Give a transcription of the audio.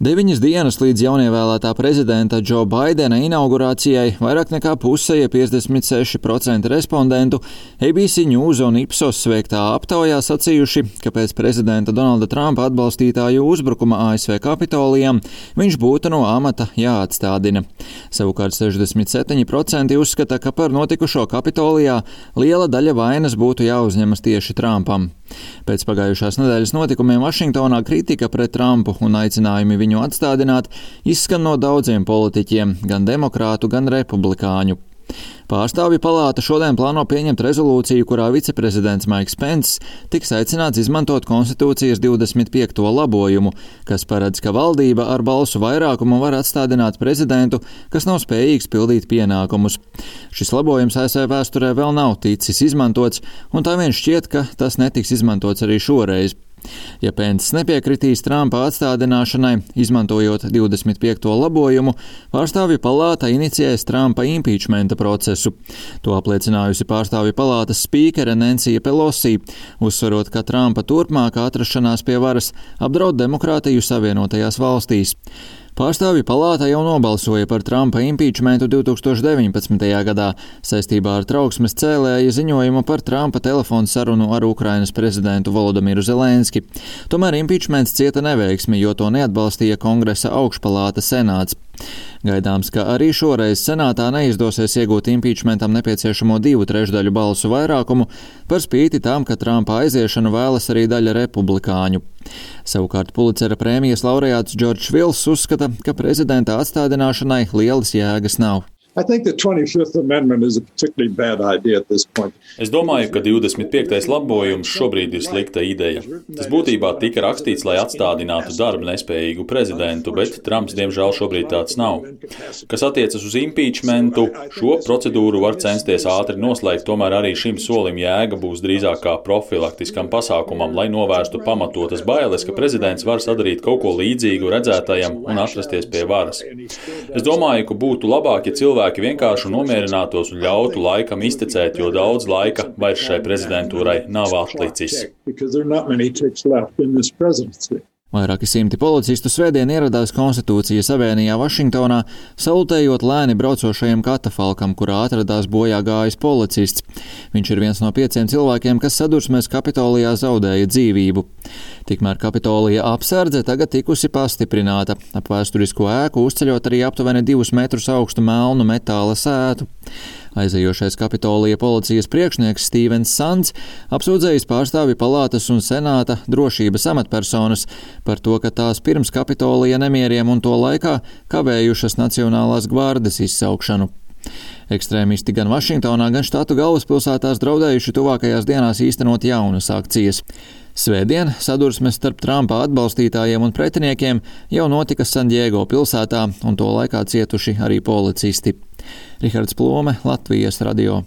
9 dienas līdz jaunievēlētā prezidenta Džo Baidena inaugurācijai vairāk nekā puse, 56% respondentu ABC News un Ipsos veiktā aptaujā sacījuši, ka pēc prezidenta Donalda Trumpa atbalstītāju uzbrukuma ASV Kapitolijam viņš būtu no amata jāatstādina. Savukārt 67% uzskata, ka par notikušo Kapitolijā liela daļa vainas būtu jāuzņemas tieši Trumpam. Pēc pagājušās nedēļas notikumiem Vašingtonā kritika pret Trumpu un aicinājumi viņu atstādināt izskan no daudziem politiķiem, gan demokrātu, gan republikāņu. Pārstāvju palāta šodien plāno pieņemt rezolūciju, kurā viceprezidents Maiks Pence tiks aicināts izmantot konstitūcijas 25. labojumu, kas paredz, ka valdība ar balsu vairākumu var atstādināt prezidentu, kas nav spējīgs pildīt pienākumus. Šis labojums ASV vēsturē vēl nav ticis izmantots, un tā vien šķiet, ka tas netiks izmantots arī šoreiz. Ja Pence nepiekritīs Trumpa atstādināšanai, izmantojot 25. labojumu, pārstāvju palāta inicijēs Trumpa impeachmenta procesu. To apliecinājusi pārstāvju palātas spīkere Nancy Pelosi, uzsverot, ka Trumpa turpmākā atrašanās pie varas apdraud demokrātiju Savienotajās valstīs. Pārstāvju palāta jau nobalsoja par Trumpa impeachmentu 2019. gadā saistībā ar trauksmes cēlēja ziņojumu par Trumpa telefonu sarunu ar Ukrainas prezidentu Volodimiru Zelenski. Tomēr impeachments cieta neveiksmi, jo to neatbalstīja Kongresa augšpalāta senāts. Gaidāms, ka arī šoreiz senātā neizdosies iegūt impeachmentam nepieciešamo 2/3 balsu vairākumu, par spīti tam, ka Trumpa aiziešanu vēlas arī daļa republikāņu. Savukārt Pulicera prēmijas laureāts Džordžs Vils uzskata, ka prezidenta atstādināšanai lielas jēgas nav. Es domāju, ka 25. labojums šobrīd ir slikta ideja. Tas būtībā tika rakstīts, lai atstādinātu darba nespējīgu prezidentu, bet Trumps diemžēl šobrīd tāds nav. Kas attiecas uz impeachmentu, šo procedūru var censties ātri noslēgt, tomēr arī šim solim jēga būs drīzāk kā profilaktiskam pasākumam, lai novērstu pamatotas bailes, ka prezidents var sadarīt kaut ko līdzīgu redzētajam un atrasties pie varas. Es domāju, ka būtu labāk, ja cilvēki vienkārši nomierinātos un ļautu laikam iztecēt, jo daudz laika vairs šai prezidentūrai nav atlicis. Vairāki simti policistu svētdien ieradās Konstitūcijas avēnijā Vašingtonā, salutējot lēni braucošajam katafalkam, kurā atradās bojā gājis policists. Viņš ir viens no 5 cilvēkiem, kas sadursmēs Kapitolijā zaudēja dzīvību. Tikmēr Kapitolija apsardze tagad tikusi pastiprināta, ap vēsturisko ēku uzceļot arī aptuveni 2 metrus augstu melnu metāla sētu. Aizejošais Kapitolija policijas priekšnieks Stevens Sands apsūdzējis pārstāvju palātas un senāta drošības amatpersonas par to, ka tās pirms Kapitolija nemieriem un to laikā kavējušas Nacionālās gvardes izsaukšanu. Ekstrēmisti gan Vašingtonā, gan štatu galvaspilsētās draudējuši tuvākajās dienās īstenot jaunas akcijas. Svētdien sadursmes starp Trumpa atbalstītājiem un pretiniekiem jau notika Sandiego pilsētā, un to laikā cietuši arī policisti. Rihards Plome, Latvijas radio.